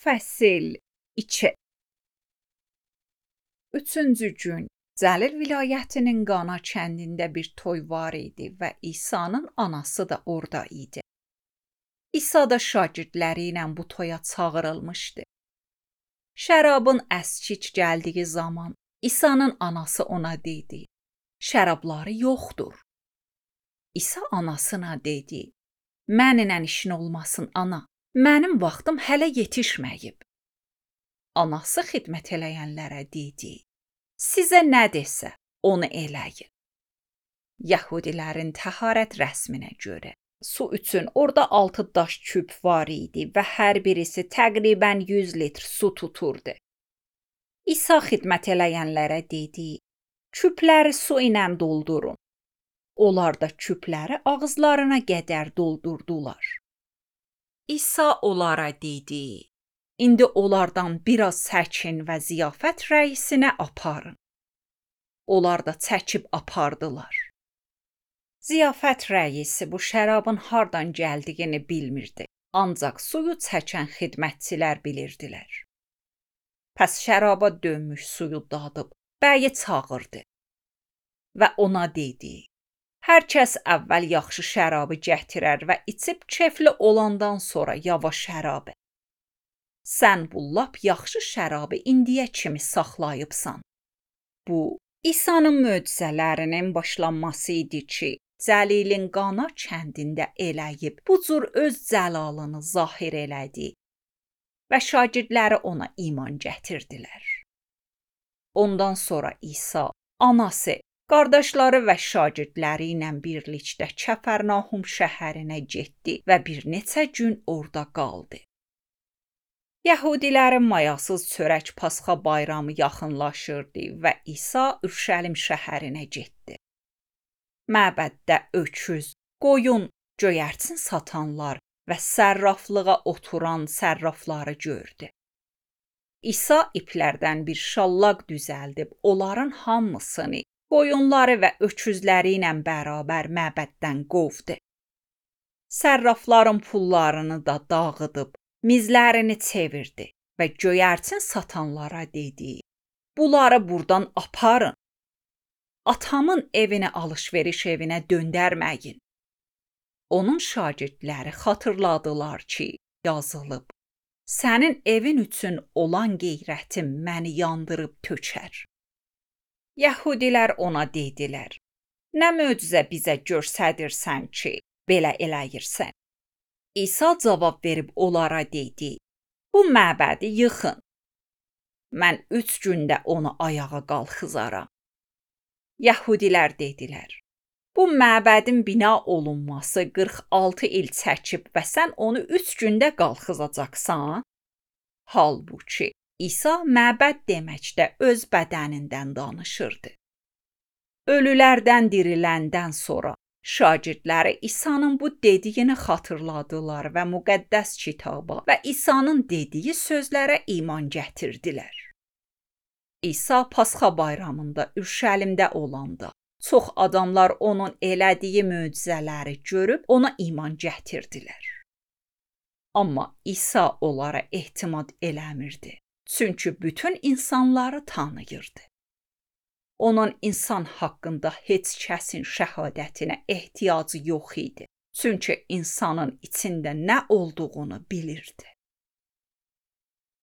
Fəsil 2. Üçüncü gün Cəlil vilayətinin Qana kəndində bir toy var idi və İsa'nın anası da orada idi. İsa da şagirdləri ilə bu toya çağırılmışdı. Şərabın əskic gəldiyi zaman İsa'nın anası ona dedi: "Şərabları yoxdur." İsa anasına dedi: "Mənimlə işin olmasın ana, mənim vaxtım hələ yetişməyib." Anası xidmət eləyənlərə dedi: "Sizə nə desə, onu eləyin." Yəhudilərin təharət rəsminə görə su üçün orada 6 daş küp var idi və hər birisi təqribən 100 litr su tuturdu. İsa xidmət eləyənlərə dedi: "Küpləri su ilə doldurun." Onlar da küpləri ağızlarına qədər doldurdular. İsa onlara dedi: "İndi onlardan biraz çəkin və ziyafət rəisinə aparın." Onlar da çəkib apardılar. Ziyafət rəisi bu şərabın hardan gəldiyini bilmirdi, ancaq suyu çəkən xidmətçilər bilirdilər. Pəs şəraba dönmüş suyu dadıb bəyi çağırdı və ona dedi: "Hər kəs əvvəl yaxşı şərabı gətirər və içib kefli olandan sonra yavaş şərabı. Sən bu lap yaxşı şərabı indiyə kimi saxlayıbsan." Bu, İsa'nın möcüzələrinin başlanması idi ki, Cəlilin Qana kəndində eləyib bu cür öz cəlalını zahir elədi və şagirdləri ona iman gətirdilər. Ondan sonra İsa, anası, qardaşları və şagirdləri ilə birlikdə Kəfərnahum şəhərinə getdi və bir neçə gün orada qaldı. Yəhudilərin mayasız çörək Pasxa bayramı yaxınlaşırdı və İsa Ürşəlim şəhərinə getdi. Məbəddə öküz, qoyun, göyərçin satanlar və sərraflığa oturan sərrafları gördü. İsa iplərdən bir şallaq düzəldib onların hamısını, qoyunları və öküzləri ilə bərabər məbəddən qovdu. Sərrafların pullarını da dağıdıb, mizlərini çevirdi və göyərçin satanlara dedi: "Bunları buradan aparın. Atamın evini alış-veriş evinə döndərməyin." Onun şagirdləri xatırladılar ki, yazılıb: "Sənin evin üçün olan qeyrətim məni yandırıb tökər." Yəhudilər ona dedilər: "Nə möcüzə bizə göstərirsən ki, belə eləyirsən?" İsa cavab verib onlara dedi: "Bu məbədi yıxın. Mən 3 gündə onu ayağa qalxızaram." Yəhudilər dedilər: "Bu məbədin bina olunması 46 il çəkib və sən onu 3 gündə qalxızacaqsan?" Halbuki İsa məbəd deməkdə öz bədənindən danışırdı. Ölülərdən diriləndən sonra şagirdləri İsa'nın bu dediyini xatırladılar və müqəddəs kitaba və İsa'nın dediyi sözlərə iman gətirdilər. İsa Pasxa bayramında Ürşəlimdə olanda çox adamlar onun elədiyi möcüzələri görüb ona iman gətirdilər. Amma İsa onlara ehtimad eləmirdi, çünki bütün insanları tanıyırdı. Onun insan haqqında heç kəsin şəhadətinə ehtiyacı yox idi, çünki insanın içində nə olduğunu bilirdi.